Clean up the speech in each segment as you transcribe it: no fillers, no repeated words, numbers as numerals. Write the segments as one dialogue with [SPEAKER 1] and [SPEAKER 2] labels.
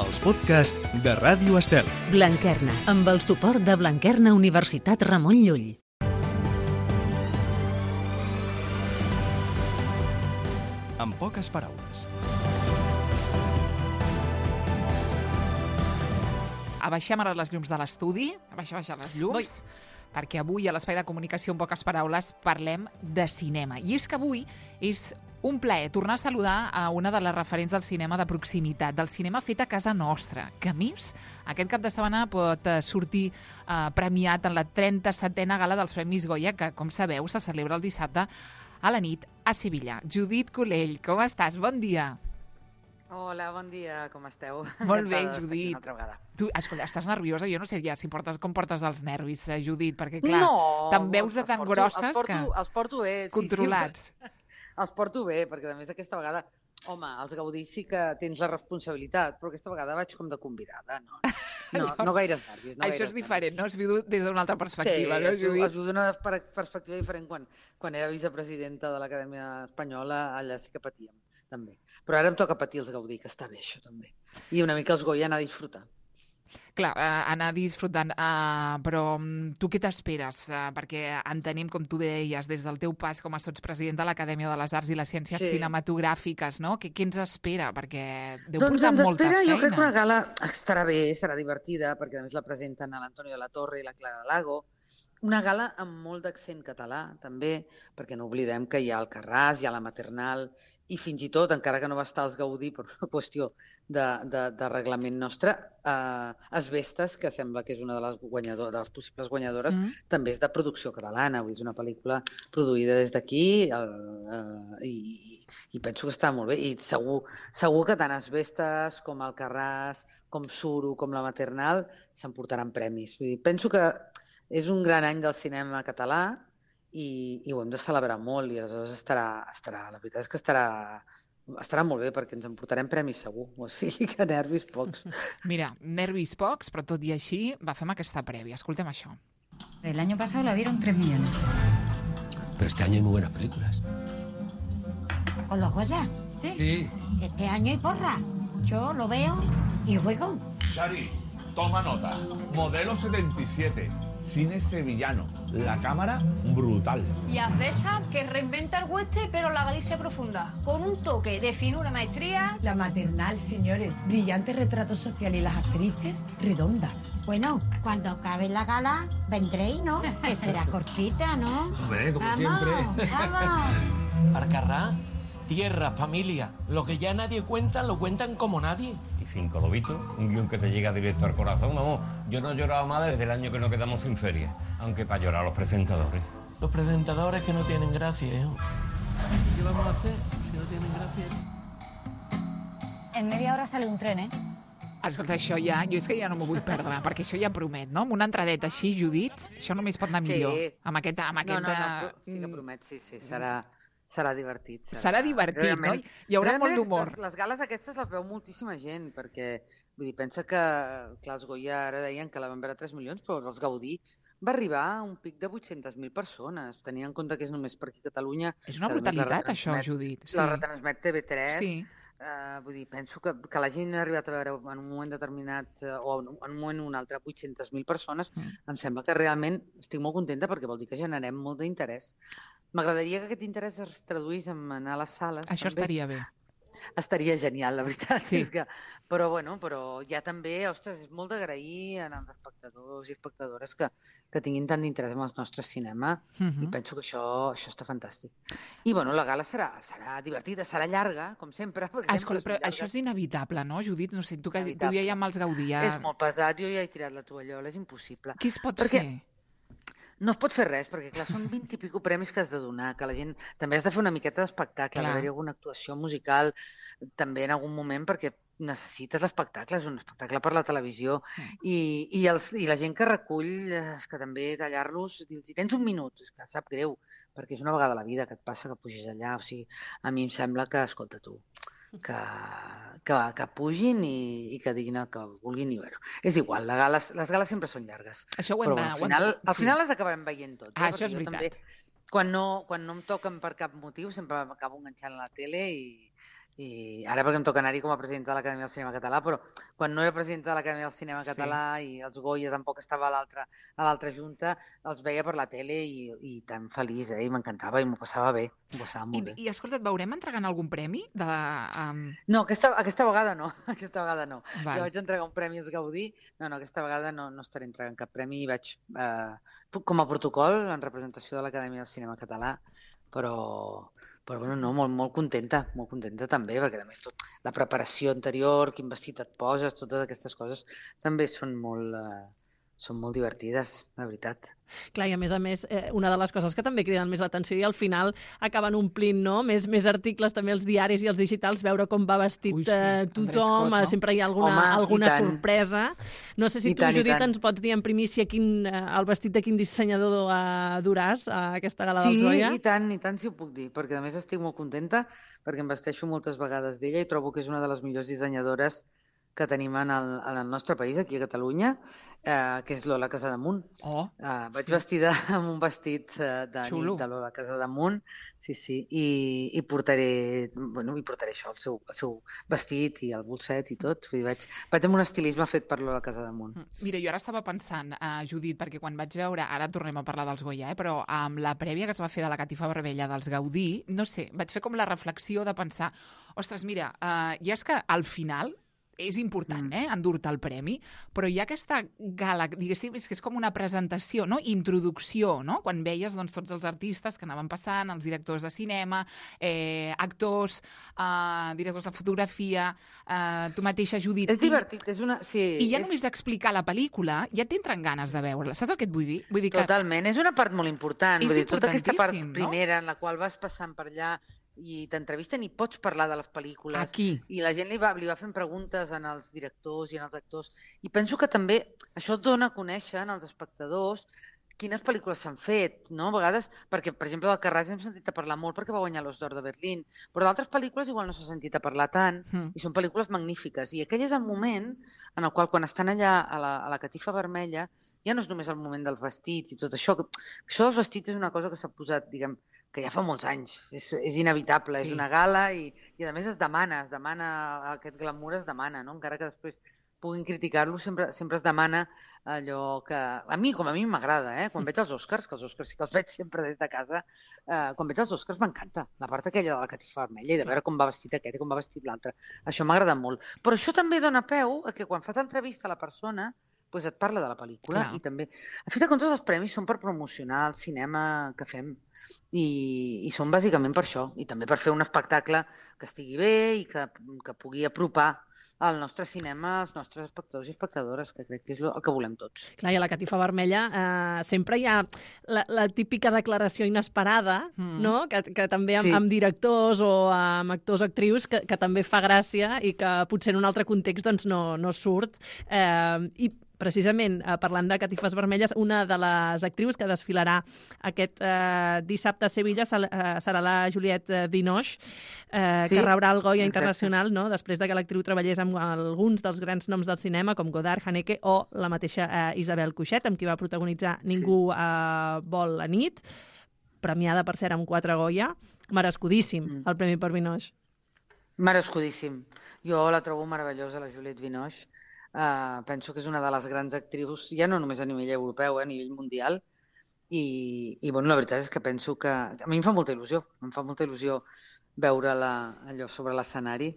[SPEAKER 1] els podcasts de Ràdio Estel.
[SPEAKER 2] Blanquerna, amb el suport de Blanquerna Universitat Ramon Llull.
[SPEAKER 1] En poques paraules.
[SPEAKER 3] Abaixem ara les llums de l'estudi, abaixar les llums, perquè avui a l'Espai de Comunicació en poques paraules parlem de cinema. I és que avui és un plaer tornar a saludar a una de les referents del cinema de proximitat, del cinema fet a casa nostra, que a més aquest cap de setmana pot sortir premiat en la 37a gala dels Premis Goya, que, com sabeu, se celebra el dissabte a la nit a Sevilla. Judit Culell, com estàs? Bon dia.
[SPEAKER 4] Hola, bon dia, com esteu?
[SPEAKER 3] Molt bé, Judit. Tu, escolta, estàs nerviosa? Jo no sé ja si com portes els nervis, Judit, perquè, clar, te'n veus de tan grosses que...
[SPEAKER 4] Els porto bé.
[SPEAKER 3] Controlats.
[SPEAKER 4] Sí, els porto bé, perquè a més aquesta vegada, home, als Gaudí sí que tens la responsabilitat, però aquesta vegada vaig com de convidada, no gaires nervis.
[SPEAKER 3] Això és diferent, no? Es viu des d'una altra perspectiva, no, Judit?
[SPEAKER 4] Es viu d'una perspectiva diferent quan era vicepresidenta de l'Acadèmia Espanyola, allà sí que patíem, també. Però ara em toca patir els Gaudí, que està bé això, també. I una mica els Goya anar a disfrutar.
[SPEAKER 3] Clar, anar disfrutant, però tu què t'esperes? Perquè entenem, com tu deies, des del teu pas com a sotspresident de l'Acadèmia de les Arts i les Ciències Cinematogràfiques, no? Què ens espera? Perquè deu portar molta feina.
[SPEAKER 4] Jo crec que una gala estarà bé, serà divertida, perquè a més la presenten a l'Antonio de la Torre i la Clara Lago. Una gala amb molt d'accent català, també, perquè no oblidem que hi ha el Carràs, hi ha la Maternal, i fins i tot, encara que no va estar als Gaudí per una qüestió de reglament nostre, Asbestes, que sembla que és una de les possibles guanyadores, també és de producció catalana, és una pel·lícula produïda des d'aquí i penso que està molt bé. I segur que tant Asbestes com el Carràs, com Suro, com la Maternal s'emportaran premis. Vull dir, penso que és un gran any del cinema català i ho hem de celebrar molt i aleshores la veritat és que estarà molt bé perquè ens emportarem premis segur, o sigui que nervis pocs.
[SPEAKER 3] Mira, nervis pocs, però tot i així fem aquesta prèvia. Escoltem això.
[SPEAKER 5] El año pasado la vieron 3 millones.
[SPEAKER 6] Pero este año hay muy buenas películas.
[SPEAKER 7] ¿Con los Goya?
[SPEAKER 6] Sí.
[SPEAKER 7] Este año hay porra. Yo lo veo y juego.
[SPEAKER 8] Shari, toma nota. Modelo 77. Cine sevillano. La cámara, brutal.
[SPEAKER 9] Y Asbestas, que reinventa el western, pero la Galicia profunda. Con un toque de finura y maestría.
[SPEAKER 5] La Maternal, señores. Brillante retrato social y las actrices redondas.
[SPEAKER 7] Bueno, cuando acabe la gala, vendréis, ¿no? Que será cortita, ¿no?
[SPEAKER 6] Hombre, como siempre.
[SPEAKER 7] ¡Vamos!
[SPEAKER 10] Arcarrá, tierra, familia. Lo que ya nadie cuenta, lo cuentan como nadie.
[SPEAKER 11] Y Cinco Lobitos, un guión que te llega directo al corazón. Vamos, yo no he llorado más desde el año que nos quedamos sin feria. Aunque para llorar los presentadores.
[SPEAKER 10] Los presentadores que no tienen gracia, ¿eh? ¿Qué vamos a hacer si no tienen gracia?
[SPEAKER 9] En media hora sale un tren, ¿eh?
[SPEAKER 3] Escolta, això ja, jo és que ja no m'ho vull perdre, perquè això ja promet, no? Amb una entradeta així, Judit, això només pot anar millor.
[SPEAKER 4] Sí.
[SPEAKER 3] Amb aquest...
[SPEAKER 4] No, sí que promet, sí, serà divertit.
[SPEAKER 3] Serà divertit, no? Hi haurà molt d'humor.
[SPEAKER 4] Les gales aquestes les veu moltíssima gent, perquè, vull dir, pensa que, clar, els Goya ara deien que la van veure 3 milions, però els Gaudí va arribar a un pic de 800.000 persones. Tenint en compte que és només per aquí a Catalunya.
[SPEAKER 3] És una brutalitat, això, Judit.
[SPEAKER 4] La retransmet TV3.
[SPEAKER 3] Sí.
[SPEAKER 4] Vull dir, penso que la gent ha arribat a veure en un moment determinat o en un moment o un altre 800.000 persones. Em sembla que realment estic molt contenta perquè vol dir que generem molt d'interès. M'agradaria que aquest interès es traduís en anar a les sales.
[SPEAKER 3] Això també estaria bé.
[SPEAKER 4] Estaria genial, la veritat.
[SPEAKER 3] Sí.
[SPEAKER 4] Però ja també, ostres, és molt d'agrair als espectadors i espectadores que tinguin tant d'interès en el nostre cinema i penso que això està fantàstic. I la gala serà divertida, serà llarga, com sempre.
[SPEAKER 3] Escolta, però això és inevitable, no, Judit? No sé, tu ja hi ha amb els Gaudí.
[SPEAKER 4] És molt pesat, jo ja he tirat la tovallola, és impossible.
[SPEAKER 3] Què es pot fer?
[SPEAKER 4] No es pot fer res, perquè clar, són 20 i pico premis que has de donar, que la gent també has de fer una miqueta d'espectacle, haver-hi alguna actuació musical també en algun moment, perquè necessites l'espectacle, és un espectacle per la televisió, i la gent que recull, és que també tallar-los, si tens un minut, és que sap greu, perquè és una vegada a la vida que et passa que pugis allà, o sigui, a mi em sembla que, escolta tu, que pugin i que diguin que vulguin i veure. És igual, les gales sempre són llargues.
[SPEAKER 3] Això
[SPEAKER 4] però al final les acabem veient tots.
[SPEAKER 3] Això és veritat.
[SPEAKER 4] Quan no em toquen per cap motiu sempre m'acabo enganxant a la tele I ara perquè em toca anar-hi com a presidenta de l'Acadèmia del Cinema Català, però quan no era presidenta de l'Acadèmia del Cinema Català i els Goya tampoc estava a l'altra junta, els veia per la tele i tan feliç, i m'encantava i m'ho passava bé, m'ho passava molt bé.
[SPEAKER 3] I escolta, et veurem entregant algun premi?
[SPEAKER 4] No, aquesta vegada no. Aquesta vegada no.
[SPEAKER 3] Val.
[SPEAKER 4] Jo vaig entregar un premi als Gaudí, no, aquesta vegada no estaré entregant cap premi i vaig, com a protocol, en representació de l'Acadèmia del Cinema Català, però bueno, no, molt contenta també, perquè a més la preparació anterior, quin vestit et poses, totes aquestes coses també són molt divertides, la veritat.
[SPEAKER 12] Clar, i a més, una de les coses que també criden més l'atenció i al final acaben omplint, no? Més articles també als diaris i als digitals, veure com va vestit tothom, no? Sempre hi ha alguna sorpresa. No sé si tu, Judit, ens pots dir en primícia el vestit de quin dissenyador duràs a aquesta gala del Goya?
[SPEAKER 4] Sí, i tant si ho puc dir, perquè a més estic molt contenta, perquè em vesteixo moltes vegades d'ella i trobo que és una de les millors dissenyadores que tenim en el nostre país, aquí a Catalunya, que és Lola Casademunt. Vaig vestida amb un vestit de nit de Lola Casademunt, sí, i portaré això, el seu vestit i el bolset i tot. Vaig amb un estilisme fet per Lola Casademunt.
[SPEAKER 3] Mira, jo ara estava pensant, Judit, perquè quan vaig veure, ara tornem a parlar dels Goya, però amb la prèvia que es va fer de la catifa vermella dels Gaudí, no sé, vaig fer com la reflexió de pensar, ostres, mira, i és que al final és important, endur-te el premi, però hi ha aquesta gala, diguéssim, és que és com una presentació, no? Introducció, no? Quan veies tots els artistes que anaven passant, els directors de cinema, actors, directors de fotografia, tu mateixa, Judit.
[SPEAKER 4] És divertit, és una... Sí,
[SPEAKER 3] I ja només explicar la pel·lícula ja t'entren ganes de veure-la. Saps el que et vull dir?
[SPEAKER 4] Totalment, és una part molt important. Vull dir, tota aquesta part primera en la qual vas passant per allà i t'entrevisten i pots parlar de les pel·lícules.
[SPEAKER 3] Aquí.
[SPEAKER 4] I la gent li va fent preguntes als directors i als actors. I penso que també això et dona a conèixer als espectadors quines pel·lícules s'han fet, no? A vegades, perquè, per exemple, del Carràs hem sentit a parlar molt perquè va guanyar l'Os d'Or de Berlín, però d'altres pel·lícules igual no s'ha sentit a parlar tant i són pel·lícules magnífiques. I aquell és el moment en el qual, quan estan allà a la catifa vermella, ja no és només el moment dels vestits i tot això. Això dels vestits és una cosa que s'ha posat, diguem, que ja fa molts anys, és inevitable, és una gala i a més es demana, aquest glamour es demana, no? Encara que després puguin criticar-lo, sempre es demana allò que... A mi m'agrada, quan veig els Oscars, que els Oscars sí que els veig sempre des de casa, quan veig els Oscars m'encanta, la part aquella de la catifa vermella i de veure com va vestit aquest i com va vestit l'altre. Això m'agrada molt. Però això també dona peu a que quan fas entrevista a la persona et parla de la pel·lícula i també... A fi de comptes, els premis són per promocionar el cinema que fem i són bàsicament per això i també per fer un espectacle que estigui bé i que pugui apropar el nostre cinema als nostres espectadors i espectadores, que crec que és el que volem tots.
[SPEAKER 12] Clar, i a la catifa vermella sempre hi ha la típica declaració inesperada, no? Que també amb directors o amb actors o actrius que també fa gràcia i que potser en un altre context doncs, no surt. I precisament, parlant de catifes vermelles, una de les actrius que desfilarà aquest dissabte a Sevilla serà la Juliette Binoche, que rebrà el Goya Internacional, no? Després de que l'actriu treballés amb alguns dels grans noms del cinema, com Godard, Haneke o la mateixa Isabel Coixet, amb qui va protagonitzar Ningú vol la nit, premiada, per cert, amb 4 Goya. Merescudíssim, el Premi per Binoche.
[SPEAKER 4] Merescudíssim. Jo la trobo meravellosa, la Juliette Binoche. Penso que és una de les grans actrius, ja no només a nivell europeu, a nivell mundial, i la veritat és que penso que... A mi em fa molta il·lusió veure-la allò sobre l'escenari,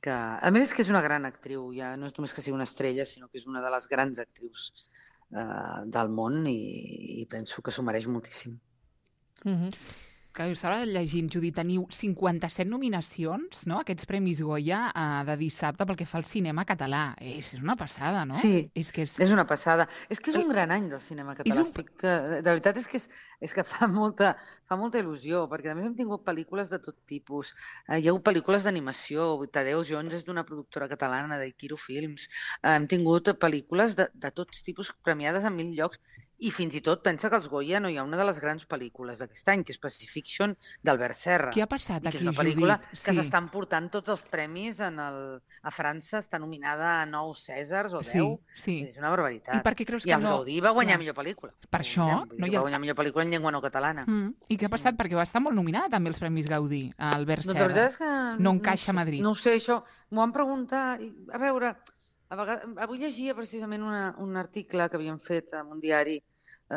[SPEAKER 4] que a més és que és una gran actriu, ja no és només que sigui una estrella, sinó que és una de les grans actrius del món i penso que s'ho mereix moltíssim.
[SPEAKER 3] Que jo estava llegint, Judit, teniu 57 nominacions, no?, aquests Premis Goya de dissabte pel que fa al cinema català. És una passada, no?
[SPEAKER 4] Sí, és una passada. És que és un gran any del cinema català. De veritat és que fa molta il·lusió, perquè a més hem tingut pel·lícules de tot tipus. Hi ha hagut pel·lícules d'animació, Tadeu Jones és d'una productora catalana, d'Ikiro Films. Hem tingut pel·lícules de tots tipus premiades en 1000 llocs. I fins i tot pensa que als Goya no hi ha una de les grans pel·lícules d'aquest any, que és Pacifiction, d'Albert Serra.
[SPEAKER 3] Què ha passat aquí,
[SPEAKER 4] Judit? És una pel·lícula que
[SPEAKER 3] Sí.
[SPEAKER 4] s'estan portant tots els premis a França, està nominada a 9 Cèsars o 10.
[SPEAKER 3] Sí.
[SPEAKER 4] És una barbaritat.
[SPEAKER 3] I per què creus
[SPEAKER 4] I
[SPEAKER 3] que
[SPEAKER 4] els
[SPEAKER 3] no?
[SPEAKER 4] Gaudí va guanyar
[SPEAKER 3] Clar.
[SPEAKER 4] millor pel·lícula.
[SPEAKER 3] Per això no hi
[SPEAKER 4] Va
[SPEAKER 3] ha...
[SPEAKER 4] guanyar millor pel·lícula en llengua no catalana.
[SPEAKER 3] I què ha passat? Perquè va estar molt nominada també als Premis Gaudí, a Albert
[SPEAKER 4] Doncs
[SPEAKER 3] Serra.
[SPEAKER 4] la veritat és que
[SPEAKER 3] no encaixa a Madrid.
[SPEAKER 4] No ho sé, això m'ho van preguntar. A veure, avui llegia precisament un article que havien fet en un diari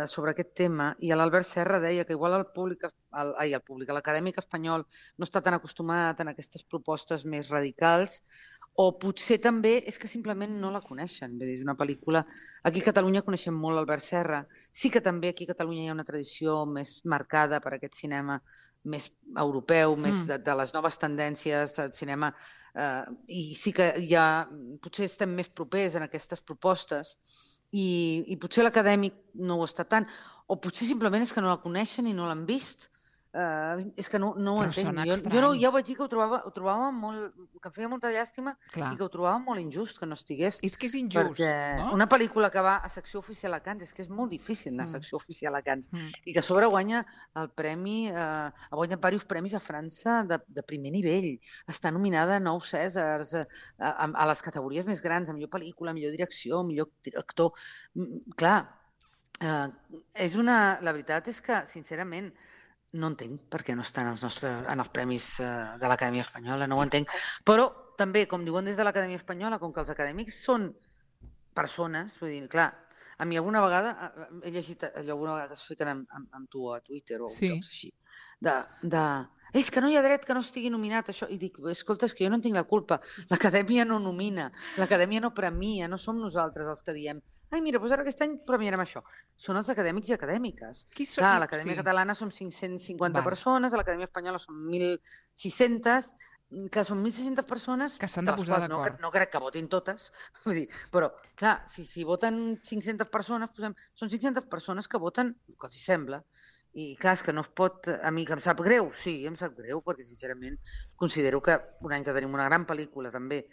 [SPEAKER 4] sobre aquest tema, i l'Albert Serra deia que igual l'acadèmic espanyol no està tan acostumat a aquestes propostes més radicals, o potser també és que simplement no la coneixen. Vull dir, és una pel·lícula... Aquí a Catalunya coneixem molt l'Albert Serra. Sí que també aquí a Catalunya hi ha una tradició més marcada per aquest cinema més europeu, més de les noves tendències del cinema, i sí que potser estem més propers en aquestes propostes, i potser l'acadèmic no ho està tant, o potser simplement és que no la coneixen i no l'han vist. És que no ho entenc. Jo ja ho vaig dir que ho trobava molt... que em feia molta llàstima i que ho trobava molt injust que no estigués.
[SPEAKER 3] És que és injust, no?
[SPEAKER 4] Una pel·lícula que va a secció oficial a Cannes, és que és molt difícil anar a secció oficial a Cannes, i que a sobre guanya el premi, ha guanyat diversos premis a França de primer nivell. Està nominada a 9 Cèsars, a les categories més grans, a millor pel·lícula, millor direcció, millor actor. Clar, la veritat és que, sincerament, no entenc per què no estan en els premis de l'Acadèmia Espanyola, no ho entenc. Però també, com diuen des de l'Acadèmia Espanyola, com que els acadèmics són persones, vull dir, clar, a mi alguna vegada, he llegit alguna vegada que es fiquen amb tu a Twitter o llocs així, és que no hi ha dret que no estigui nominat això, i dic, escolta, és que jo no en tinc la culpa, l'Acadèmia no nomina, l'Acadèmia no premia, no som nosaltres els que diem ai, mira, doncs ara aquest any premiarem això. Són els acadèmics i acadèmiques. Clar, a l'Acadèmia Catalana som 550 persones, a l'Acadèmia Espanyola som 1.600, que són 1.600 persones
[SPEAKER 3] que s'han de posar d'acord.
[SPEAKER 4] No crec que votin totes, vull dir, però, clar, si voten 500 persones, són 500 persones que voten el que els sembla. I clar, és que no es pot... A mi que em sap greu, sí, em sap greu, perquè sincerament considero que un any que tenim una gran pel·lícula també,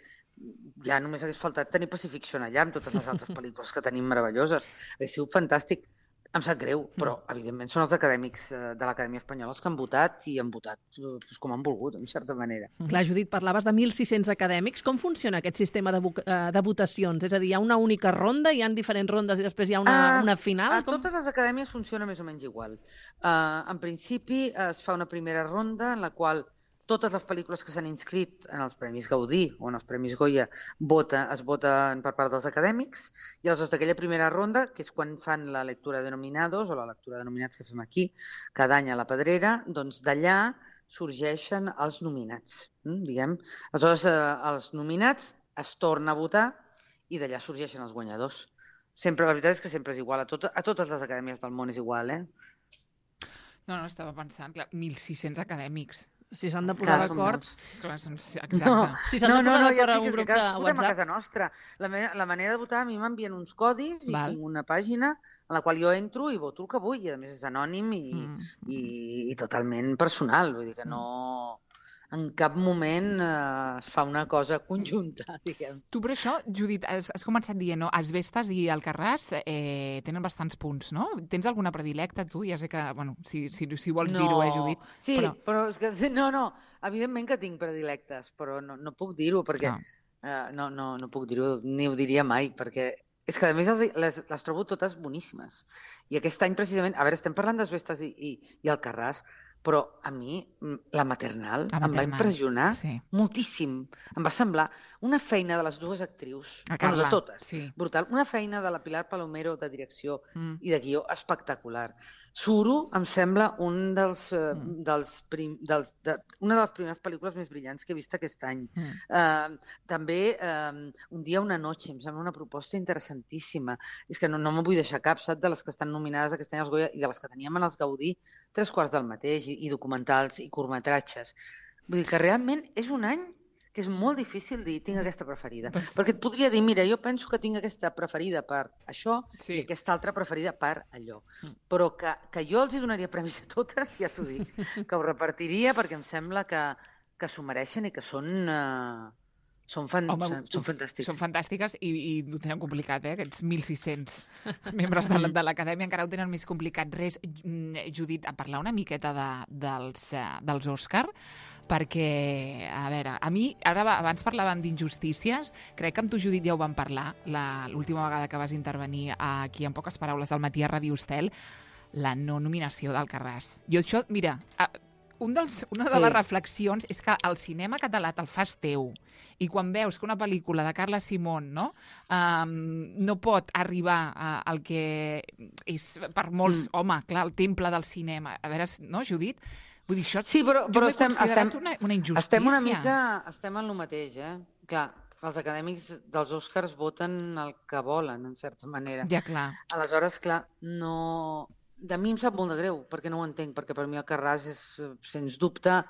[SPEAKER 4] ja només hagués faltat tenir Pacifiction allà amb totes les altres pel·lícules que tenim meravelloses. Hauria sigut fantàstic. Em sap greu, però evidentment són els acadèmics de l'Acadèmia Espanyola els que han votat i han votat com han volgut, en certa manera.
[SPEAKER 12] Clar, Judit, parlaves de 1.600 acadèmics. Com funciona aquest sistema de votacions? És a dir, hi ha una única ronda, hi ha diferents rondes i després hi ha una final?
[SPEAKER 4] A totes les acadèmies funciona més o menys igual. En principi es fa una primera ronda en la qual totes les pel·lícules que s'han inscrit en els Premis Gaudí o en els Premis Goya es voten per part dels acadèmics, i aleshores d'aquella primera ronda, que és quan fan la lectura de nominados o la lectura de nominats que fem aquí cada any a la Pedrera, doncs d'allà sorgeixen els nominats, diguem. Aleshores, els nominats es torna a votar i d'allà sorgeixen els guanyadors. Sempre, la veritat és que sempre és igual, a totes les acadèmies del món és igual,
[SPEAKER 3] No, estava pensant, clar, 1.600 acadèmics.
[SPEAKER 12] Si s'han de posar d'acord...
[SPEAKER 3] Clar, exacte.
[SPEAKER 12] Si s'han de posar d'acord a un grup de WhatsApp...
[SPEAKER 4] a casa nostra. La manera de votar, a mi m'envien uns codis i tinc una pàgina en la qual jo entro i voto el que vull, i a més és anònim i totalment personal, vull dir que no... En cap moment es fa una cosa conjunta, diguem.
[SPEAKER 3] Tu, per això, Judit, has començat dient, no? Els Vestes i el Carràs tenen bastants punts, no? Tens alguna predilecta, tu? Ja sé que, bueno, si vols dir-ho, Judit.
[SPEAKER 4] Sí, però és que, no, evidentment que tinc predilectes, però no puc dir-ho, perquè no puc dir-ho, ni ho diria mai, perquè és que, a més, les trobo totes boníssimes. I aquest any, precisament, a veure, estem parlant dels Vestes i el Carràs, però a mi la maternal em va impressionar moltíssim. Em va semblar una feina de les dues actrius, de totes, brutal. Una feina de la Pilar Palomero de direcció i de guió espectacular. Suro em sembla una de les primeres pel·lícules més brillants que he vist aquest any. També Un dia, una noche, em sembla una proposta interessantíssima. És que no me vull deixar cap, saps, de les que estan nominades aquest any als Goya i de les que teníem en els Gaudí, 3/4 del mateix, i documentals i curtmetratges. Vull dir que realment és un any que és molt difícil dir tinc aquesta preferida. Perquè et podria dir, mira, jo penso que tinc aquesta preferida per això i aquesta altra preferida per allò. Però que jo els hi donaria premis a totes, ja t'ho dic, que ho repartiria perquè em sembla que s'ho mereixen i que són Són fantàstics.
[SPEAKER 3] Són fantàstiques i ho tenen complicat, aquests 1.600 membres de l'Acadèmia encara ho tenen més complicat. Res, Judit, a parlar una miqueta dels Òscar, perquè, a veure, a mi, ara abans parlàvem d'injustícies, crec que amb tu, Judit, ja ho vam parlar l'última vegada que vas intervenir aquí en Poques Paraules al matí a Ràdio Estel, la no nominació d'Alcarràs. Jo això, mira, una de les reflexions és que el cinema català te'l fas teu i quan veus que una pel·lícula de Carla Simón no pot arribar al que és per molts, home, clar, el temple del cinema. A veure, no, Judit? Vull dir, això
[SPEAKER 4] però estem
[SPEAKER 3] una injustícia.
[SPEAKER 4] Estem en el mateix, Clar, els acadèmics dels Oscars voten el que volen, en certa manera.
[SPEAKER 3] Ja, clar.
[SPEAKER 4] Aleshores, clar, no... De mi em sap molt de greu, perquè no ho entenc, perquè per mi Alcarràs és, sens dubte,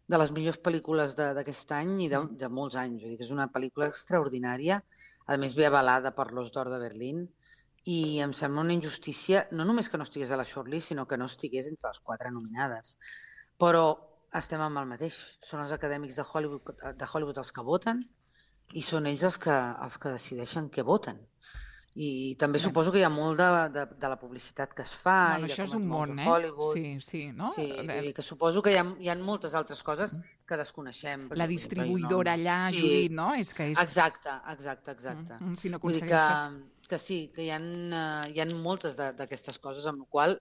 [SPEAKER 4] de les millors pel·lícules d'aquest any i de molts anys. Vull dir que és una pel·lícula extraordinària, a més ve avalada per l'Os d'Or de Berlín, i em sembla una injustícia, no només que no estigués a la shortlist, sinó que no estigués entre les 4 nominades. Però estem amb el mateix. Són els acadèmics de Hollywood els que voten i són ells els que decideixen què voten. I també suposo que hi ha molt de la publicitat que es fa.
[SPEAKER 3] Bueno, això és un món,
[SPEAKER 4] Hollywood.
[SPEAKER 3] Sí, no?
[SPEAKER 4] Sí, que suposo que hi ha moltes altres coses que desconeixem.
[SPEAKER 3] La distribuïdora allà, Judit, no?
[SPEAKER 4] Exacte.
[SPEAKER 3] Si no
[SPEAKER 4] vull dir que sí, que hi ha moltes d'aquestes coses, amb la qual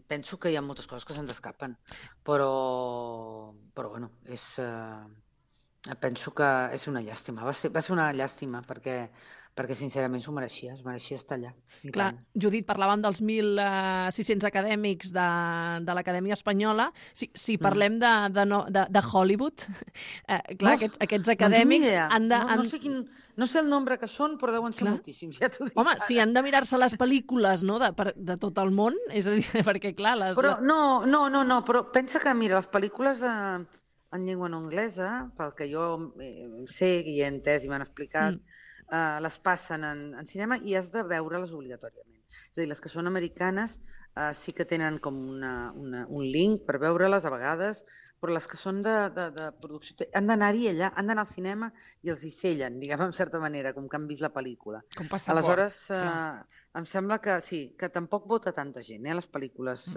[SPEAKER 4] penso que hi ha moltes coses que se'ns escapen. Però bueno, penso que és una llàstima. Va ser una llàstima perquè sincerament s'ho mereixia, es mereixia estar allà.
[SPEAKER 12] Clar, Judit, parlàvem dels 1.600 acadèmics de l'Acadèmia Espanyola. Si parlem de Hollywood, clar, aquests acadèmics han de...
[SPEAKER 4] No sé el nombre que són, però deuen ser moltíssims, ja t'ho dic.
[SPEAKER 12] Home, si han de mirar-se les pel·lícules de tot el món, és a dir, perquè clar...
[SPEAKER 4] Però no, però pensa que, mira, les pel·lícules en llengua no anglesa, pel que jo sé i he entès i m'han explicat, les passen en cinema i has de veure-les obligatòriament. És a dir, les que són americanes sí que tenen com un link per veure-les a vegades, però les que són de producció han d'anar-hi allà, han d'anar al cinema i els hi sellen, diguem, en certa manera, com que han vist la pel·lícula. Aleshores, em sembla que sí, que tampoc vota tanta gent, les pel·lícules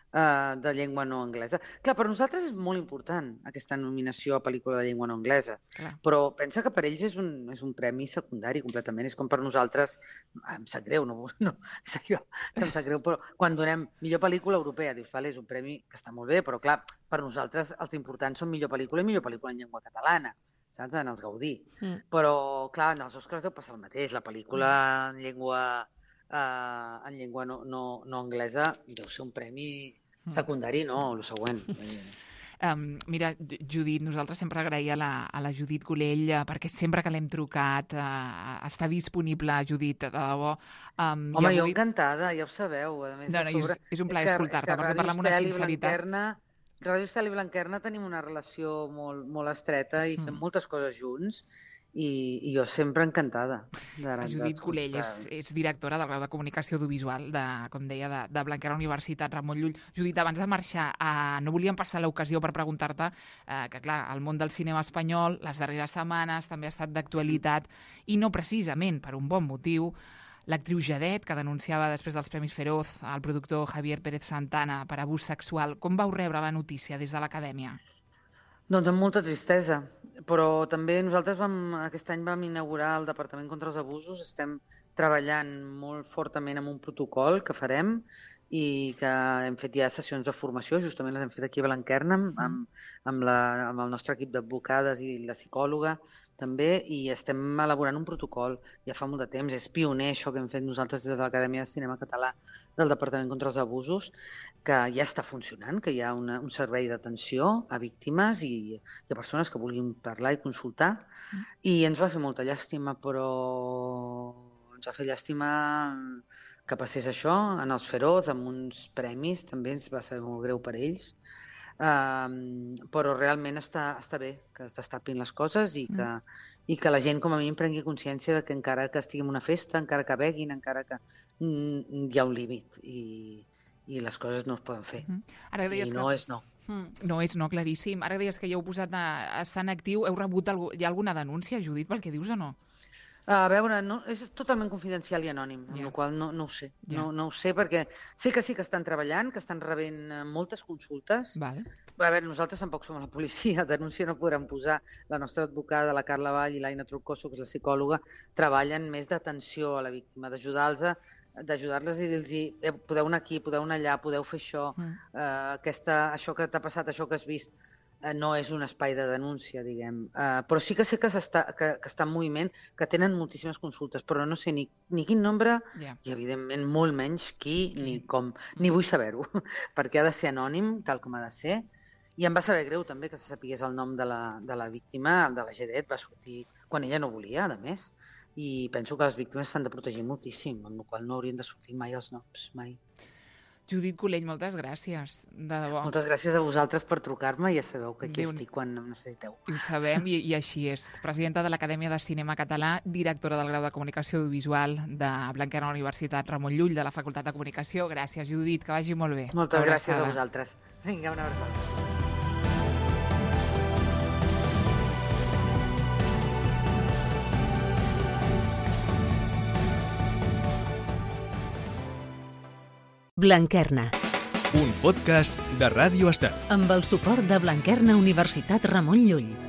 [SPEAKER 4] de llengua no anglesa. Clar, per nosaltres és molt important aquesta nominació a pel·lícula de llengua no anglesa, però pensa que per ells és un premi secundari completament. És com per nosaltres, em sap greu, em sap greu, però quan donem millor pel·lícula europea, dius, vale, és un premi que està molt bé, però clar, per nosaltres els importants són millor pel·lícula i millor pel·lícula en llengua catalana, saps? En els Gaudí. Però clar, en els Oscars deu passar el mateix. La pel·lícula en llengua no anglesa deu ser un premi secundari, no, el següent.
[SPEAKER 3] Mira, Judit, nosaltres sempre agraïa a la Judit Golell perquè sempre que l'hem trucat està disponible, Judit, de debò.
[SPEAKER 4] Home, jo encantada, ja ho sabeu. A més,
[SPEAKER 3] és un plaer escoltar-te, perquè parla amb una sinceritat.
[SPEAKER 4] Ràdio Estel i Blanquerna tenim una relació molt estreta i fem moltes coses junts. I jo sempre encantada.
[SPEAKER 3] La Judit Golell és directora del grau de Comunicació Audiovisual, com deia, de Blanquerna Universitat Ramon Llull. Judit, abans de marxar, no volíem passar l'ocasió per preguntar-te que, clar, el món del cinema espanyol les darreres setmanes també ha estat d'actualitat i no precisament per un bon motiu. L'actriu Jadet, que denunciava després dels Premis Feroz el productor Javier Pérez Santana per abús sexual. Com vau rebre la notícia des de l'Acadèmia?
[SPEAKER 4] Doncs amb molta tristesa, però també nosaltres aquest any vam inaugurar el Departament contra els Abusos, estem treballant molt fortament amb un protocol que farem i que hem fet ja sessions de formació, justament les hem fet aquí a Blanquerna amb el nostre equip d'advocades i la psicòloga també, i estem elaborant un protocol ja fa molt de temps. És pioner això que hem fet nosaltres des de l'Acadèmia de Cinema Català del Departament contra els Abusos, que ja està funcionant, que hi ha un servei d'atenció a víctimes i a persones que vulguin parlar i consultar, i ens va fer molta llàstima, però ens va fer llàstima que passés això en els Feroz, amb uns premis, també ens va ser molt greu per ells, però realment està bé que es destapin les coses i que la gent com a mínim prengui consciència de que encara que estigui en una festa, encara que beguin, encara que hi ha un límit i les coses no es poden fer.
[SPEAKER 3] Ara deies
[SPEAKER 4] I no és no.
[SPEAKER 3] No, claríssim. Ara deies que ja heu posat a estar en actiu. Heu rebut hi ha alguna denúncia, Judit, pel que dius o no?
[SPEAKER 4] A veure, és totalment confidencial i anònim, amb la qual no ho sé. No ho sé perquè sé que sí que estan treballant, que estan rebent moltes consultes.
[SPEAKER 3] Vale.
[SPEAKER 4] A veure, nosaltres tampoc som la policia, denúncia no podrem posar. La nostra advocada, la Carla Vall i l'Aina Troncoso, que és la psicòloga, treballen més d'atenció a la víctima, d'ajudar-les i dir-los podeu anar aquí, podeu anar allà, podeu fer això, això que t'ha passat, això que has vist. No és un espai de denúncia, diguem. Però sí que sé que està en moviment, que tenen moltíssimes consultes, però no sé ni quin nombre i, evidentment, molt menys qui ni com. Ni vull saber-ho, perquè ha de ser anònim, tal com ha de ser. I em va saber greu, també, que se sapigués el nom de la víctima, de la Gedet, va sortir quan ella no volia, a més. I penso que les víctimes s'han de protegir moltíssim, amb la qual cosa no haurien de sortir mai els noms, mai.
[SPEAKER 3] Judit Collell, moltes gràcies, de debò.
[SPEAKER 4] Moltes gràcies a vosaltres per trucar-me, ja sabeu que aquí estic quan em necessiteu.
[SPEAKER 3] Ho sabem i així és. Presidenta de l'Acadèmia de Cinema Català, directora del grau de Comunicació Audiovisual de Blanquerna Universitat Ramon Llull, de la Facultat de Comunicació. Gràcies, Judit, que vagi molt bé.
[SPEAKER 4] Moltes gràcies a vosaltres. Vinga, una abraçada.
[SPEAKER 2] Blanquerna.
[SPEAKER 1] Un podcast de Ràdio Estel.
[SPEAKER 2] Amb el suport de Blanquerna Universitat Ramon Llull.